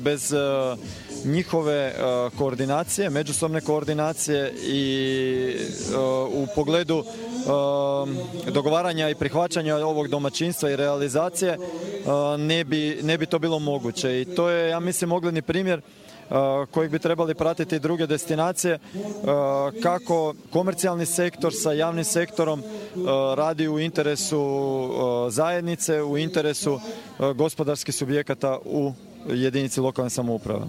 bez njihove koordinacije, međusobne koordinacije i u pogledu dogovaranja i prihvaćanja ovog domaćinstva i realizacije ne bi to bilo moguće. I to je, ja mislim, ogledni primjer kojeg bi trebali pratiti druge destinacije, kako komercijalni sektor sa javnim sektorom radi u interesu zajednice, u interesu gospodarskih subjekata u jedinici lokalne samouprave.